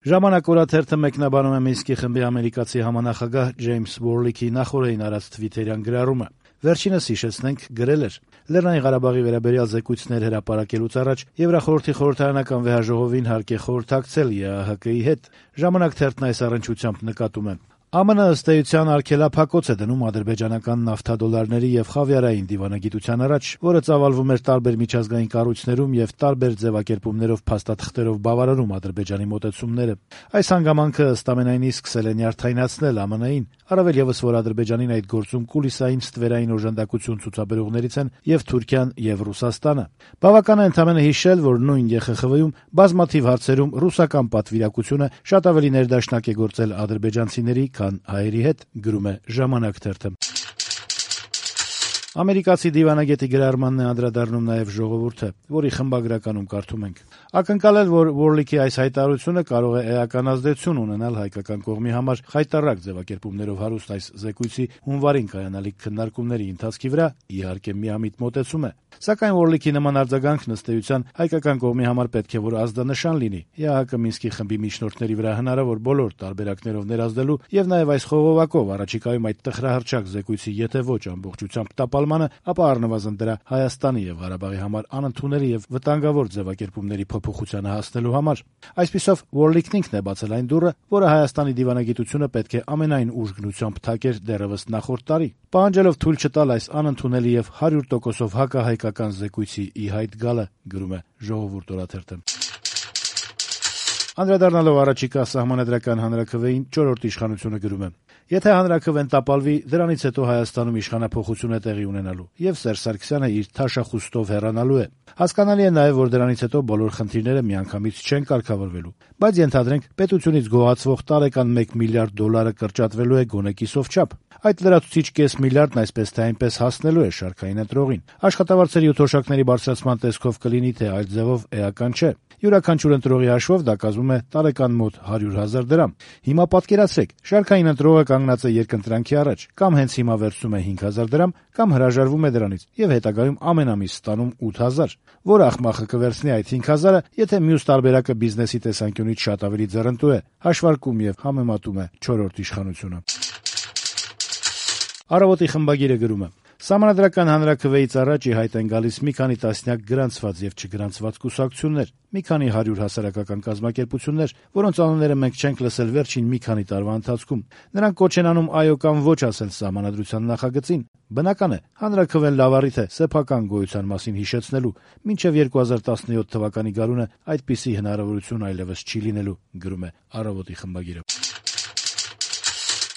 Ժամանակ օրաթերթը մեկնաբանում է Մինսկի խմբի ամերիկացի համանախագահ Ջեյմս Վորլիքի նախօրեին արած թվիթերյան գրառումը։ Վերջինս, հիշեցնենք, գրել էր. «Լեռնային Ղարաբաղի վերաբերյալ զեկույցներ հրապարակելուց առաջ Եվրախորհրդի խորհրդարանական վեհաժողովին հարկ է խորհրդակցել ԵԱՀԿ-ի հետ»։ Ժամանակ թերթն այս առնչությամբ նկատում է. ԱՄՆ ըստ էության արգելափակոց է դնում ադրբեջանական նավթադոլարների եւ խավիարային դիվանագիտության առաջ, որը ծավալվում էր տարբեր միջազգային կառույցներում եւ տարբեր ձեւակերպումներով փաստաթղթերով բավարարում Ադրբեջանի մոտեցումները։ Այս հանգամանքը ըստ ամենայնի սկսել է նյարդայնացնել ԱՄՆ-ին, առավել եւս որ Ադրբեջանին այդ գործում կուլիսային ստվերային օժանդակություն ցուցաբերողներից են եւ Թուրքիան եւ Ռուսաստանը։ Բավական է ընդամենը հիշել, որ նույն ԵԽԽՎ-ում բազմաթիվ հարցերում ռուսական պատվիրակությունը շատ ավելի ներդաշնակ է գործել ադրբեջանցիների, քան հայերի հետ, գրում է Ժամանակ թերթը։ Ամերիկացի դիվանագետի գրառմանն է անդրադառնում նաև Ժողովուրդը, որի խմբագրականում կարդում ենք. «Ակնկալել, որ Վորլիքի այս հայտարարությունը կարող է էական ազդեցություն ունենալ հայկական կողմի համար խայտառակ ձևակերպումներով հարուստ այս զեկույցի հունվարին կայանալիք քննարկումների ընթացքի վրա, իհարկե միամիտ մոտեցում է։ Սակայն Վորլիքի նման արձագանքն ըստ էության հայկական կողմի համար պետք է որ ազդանշան լինի ԵԱՀԿ Մինսկի խմբի միջնորդների վրա հնարավոր բոլոր տարբերակներով ներազդելու եւ նաեւ այս խողովակով առաջիկայում այդ տխրահռչակ զեկույցի եթե ոչ ամբողջությամբ տապալմանը, ապա առնվազն դրա Հայաստանի եւ Ղարաբաղի համար անընդունելի եւ վտանգավոր ձևակերպումների փոփոխությանը հասնելու համար։ Այսպիսով Վորլիքն ինքն է բացել այն դուռը, որը Հայաստանի դիվանագիտությունը պետք է ամենայն ուժգնությամբ փակեր դեռևս նախորդ տարի, պահանջելով թույլ չտալ այս անընդունելի եւ 100%-ով հակահայկական զեկույցի ի հայտ գալը, գրում է Ժողովուրդ օրաթերթը։ Անդրադառնալով առաջիկա սահմանադրական հանրաքվեին, Չորրորդ իշխանությունը գրում է. «Եթե հանրաքվեն տապալվի, դրանից հետո Հայաստանում իշխանափոխություն է տեղի ունենալու, եւ Սերժ Սարգսյանը իր թաշախուստով հեռանալու է։ Հասկանալի է նաեւ, որ դրանից հետո բոլոր խնդիրները միանգամից չեն կարգավորվելու, բայց ենթադրենք, պետությունից գոհացվող տարեկան $1 միլիարդ կրճատվելու է գոնե կիսով չափ։ Այդ լրացուցիչ կես միլիարդն այսպես թե այնպես հասնելու է շարքային ընտրողին։ Աշխատավարձերի ու թոշակների բարձրացման տեսքով կլինի, թե այլ ձևով էական չէ։ Յուրաքանչյուր ընտրողի հաշվով դա կազմում է տարեկան մոտ 100,000 դրամ։ Հիմա պատկերացրեք, շարքային ընտրողը կանգնած է երկընտրանքի առաջ, կամ հենց հիմա վերցնում է 5,000 դրամ, կամ հրաժարվում է դրանից եւ հետագայում ամեն ամիս ստանում 8,000։ Որ ախմախը կվերցնի այդ 5,000-ը, եթե մյուս տարբերակը բիզնեսի տեսանկյունից շատ ավելի ձեռնտու է, հաշվարկում եւ համեմատում է Չորրորդ իշխանությունը»։ Առավոտի խմբագիրը գրում է. «Սահմանադրական հանրաքվեից առաջ ի հայտ են գալիս մի քանի տասնյակ գրանցված եւ չգրանցված կուսակցություններ, մի քանի 100 հասարակական կազմակերպություններ, որոնց անունները մենք չենք լսել վերջին մի քանի տարվա ընթացքում։ Նրանք կոչ են անում այո կամ ոչ ասել սահմանադրության նախագծին։ Բնական է, հանրաքվեն լավ առիթ է սեփական գոյության մասին հիշեցնելու, մինչեւ 2017 թվականի գարունը այդպիսի հնարավորություն այլեւս չի լինելու», գրում է Առավոտի խմբագիրը։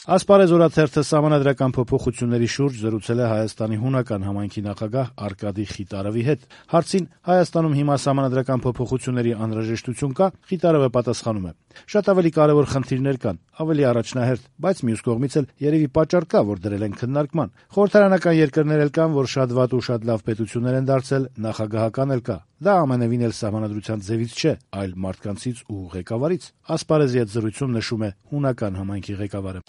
Ասպարեզ օրաթերթը սահմանադրական փոփոխությունների շուրջ զրուցել է Հայաստանի հունական համայնքի նախագահ Արկադի Խիտարովի հետ։ Հարցին Հայաստանում հիմա սահմանադրական փոփոխությունների անհրաժեշտություն կա, Խիտարովը պատասխանում է. «Շատ ավելի կարևոր խնդիրներ կան, ավելի առաջնահերթ, բայց մյուս կողմից էլ երևի պատճառ կա, որ դրել են քննարկման։ Խորհրդարանական երկրներ էլ կան, որ շատ վատ ու շատ լավ պետություններ են դարձել, նախագահական էլ կա։ Դա ամենևին էլ սահմանադրության ձևից չէ, այլ մարդկանցից ու ղեկավարից», ասպարեզի հետ զրույցում նշում է հունական համայնքի ղեկավարը։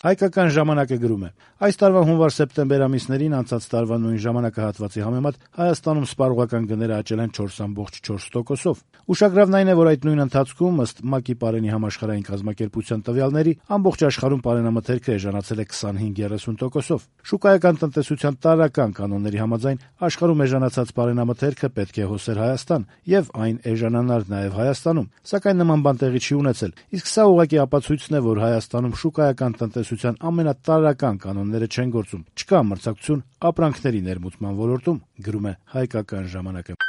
Հայկական ժամանակը գրում է. «Այս տարվա հունվար-սեպտեմբեր ամիսներին անցած տարվա նույն ժամանակահատվածի համեմատ Հայաստանում սպառողական գները աճել են 4,4%-ով։ Ուշագրավն այն է, որ այդ նույն ընթացքում, ըստ ՄԱԿ-ի պարենի համաշխարհային կազմակերպության տվյալների, ամբողջ աշխարհում պարենամթերքը էժանացել է 25-30%-ով։ Շուկայական տնտեսության տարրական կանոնների համաձայն աշխարհում էժանացած պարենամթերքը պետք է հոսեր Հայաստան եւ այն էժանանար նաեւ Հայաստանում, սակայն նման բան տեղի չի ունեցել, իսկ սա ուղղակի ապացույցն է, որ Հայաստանում շուկայական տնտեսության ամենատարրական կանոնները չեն գործում, չկա մրցակցություն ապրանքների ներմուծման ոլորտում», գրում է Հայկական ժամանակը։